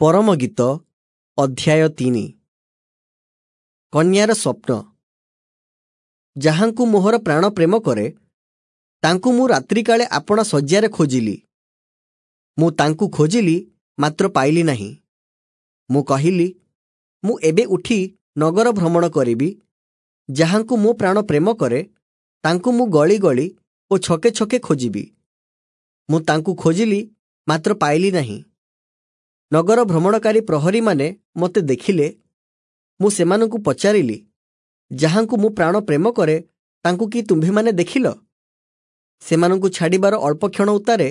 ପରମଗୀତ ଅଧ୍ୟାୟ 3। କନ୍ୟାର ସ୍ୱପ୍ନ। ଯାହାଙ୍କୁ ମୋହର ପ୍ରାଣ ପ୍ରେମ କରେ, ତାଙ୍କୁ ମୁଁ ରାତ୍ରିକାଳେ ଆପଣା ଶଯ୍ୟାରେ ଖୋଜିଲି। ମୁଁ ତାଙ୍କୁ ଖୋଜିଲି, ମାତ୍ର ପାଇଲି ନାହିଁ। ମୁଁ କହିଲି, ମୁଁ ଏବେ ଉଠି ନଗର ଭ୍ରମଣ କରିବି। ଯାହାଙ୍କୁ ମୋ ପ୍ରାଣ ପ୍ରେମ କରେ, ତାଙ୍କୁ ମୁଁ ଗଳି ଗଳି ଓ ଛକେ ଛକେ ଖୋଜିବି। ମୁଁ ତାଙ୍କୁ ଖୋଜିଲି, ମାତ୍ର ପାଇଲି ନାହିଁ। ନଗର ଭ୍ରମଣକାରୀ ପ୍ରହରୀମାନେ ମୋତେ ଦେଖିଲେ। ମୁଁ ସେମାନଙ୍କୁ ପଚାରିଲି, ଯାହାଙ୍କୁ ମୋ ପ୍ରାଣ ପ୍ରେମ କରେ, ତାଙ୍କୁ କି ତୁମ୍ଭେମାନେ ଦେଖିଲ? ସେମାନଙ୍କୁ ଛାଡ଼ିବାର ଅଳ୍ପ କ୍ଷଣ ଉତ୍ତାରେ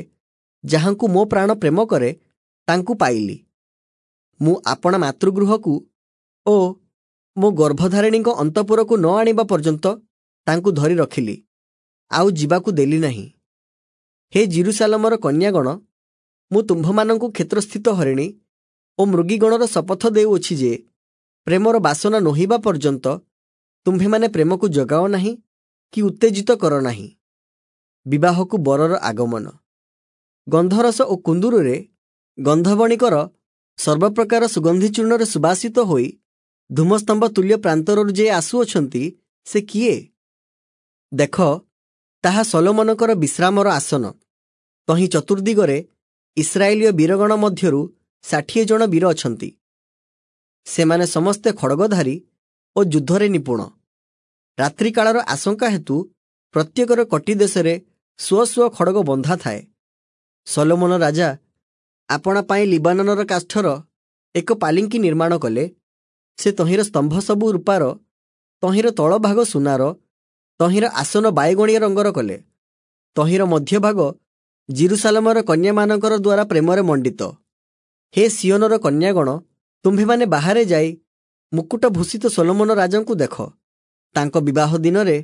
ଯାହାଙ୍କୁ ମୋ ପ୍ରାଣ ପ୍ରେମ କରେ, ତାଙ୍କୁ ପାଇଲି। ମୁଁ ଆପଣା ମାତୃଗୃହକୁ ଓ ମୋ ଗର୍ଭଧାରିଣୀଙ୍କ ଅନ୍ତଃପୁରକୁ ନ ଆଣିବା ପର୍ଯ୍ୟନ୍ତ ତାଙ୍କୁ ଧରି ରଖିଲି, ଆଉ ଯିବାକୁ ଦେଲି ନାହିଁ। ହେ ଯିରୂଶାଲମର କନ୍ୟାଗଣ, ମୁଁ ତୁମ୍ଭମାନଙ୍କୁ କ୍ଷେତ୍ରସ୍ଥିତ ହରିଣୀ ଓ ମୃଗୀଗଣର ଶପଥ ଦେଉଅଛି ଯେ, ପ୍ରେମର ବାସନା ନୋହିବା ପର୍ଯ୍ୟନ୍ତ ତୁମ୍ଭେମାନେ ପ୍ରେମକୁ ଜଗାଅ ନାହିଁ କି ଉତ୍ତେଜିତ କର ନାହିଁ। ବିବାହକୁ ବରର ଆଗମନ। ଗନ୍ଧରସ ଓ କୁନ୍ଦୁରୁରେ ଗନ୍ଧବଣିକର ସର୍ବପ୍ରକାର ସୁଗନ୍ଧି ଚୂର୍ଣ୍ଣରେ ସୁବାସିତ ହୋଇ ଧୂମସ୍ତମ୍ଭ ତୁଲ୍ୟ ପ୍ରାନ୍ତରରୁ ଯେ ଆସୁଅଛନ୍ତି, ସେ କିଏ? ଦେଖ, ତାହା ସଲୋମନଙ୍କର ବିଶ୍ରାମର ଆସନ। ତହିଁ ଚତୁର୍ଦ୍ଦିଗରେ ଇସ୍ରାଏଲୀୟ ବୀରଗଣ ମଧ୍ୟରୁ 60 ଜଣ ବୀର ଅଛନ୍ତି। ସେମାନେ ସମସ୍ତେ ଖଡ଼ଗଧାରୀ ଓ ଯୁଦ୍ଧରେ ନିପୁଣ। ରାତ୍ରିକାଳର ଆଶଙ୍କା ହେତୁ ପ୍ରତ୍ୟେକର କଟି ଦେଶରେ ସ୍ୱ ସ୍ୱ ଖଡ଼ଗ ବନ୍ଧା ଥାଏ। ସଲୋମନ ରାଜା ଆପଣା ପାଇଁ ଲିବାନନର କାଷ୍ଠର ଏକ ପାଲିଙ୍କି ନିର୍ମାଣ କଲେ। ସେ ତହିଁର ସ୍ତମ୍ଭ ସବୁ ରୂପାର, ତହିଁର ତଳଭାଗ ସୁନାର, ତହିଁର ଆସନ ବାଇଗଣିଆ ରଙ୍ଗର କଲେ। ତହିଁର ମଧ୍ୟଭାଗ ଯିରୂଶାଲମର କନ୍ୟାମାନଙ୍କର ଦ୍ୱାରା ପ୍ରେମରେ ମଣ୍ଡିତ। ହେ ସିୟୋନର କନ୍ୟାଗଣ, ତୁମ୍ଭେମାନେ ବାହାରେ ଯାଇ ମୁକୁଟ ଭୂଷିତ ସଲୋମନ ରାଜାଙ୍କୁ ଦେଖ। ତାଙ୍କ ବିବାହ ଦିନରେ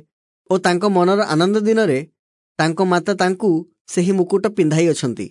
ଓ ତାଙ୍କ ମନର ଆନନ୍ଦ ଦିନରେ ତାଙ୍କ ମାତା ତାଙ୍କୁ ସେହି ମୁକୁଟ ପିନ୍ଧାଇଅଛନ୍ତି।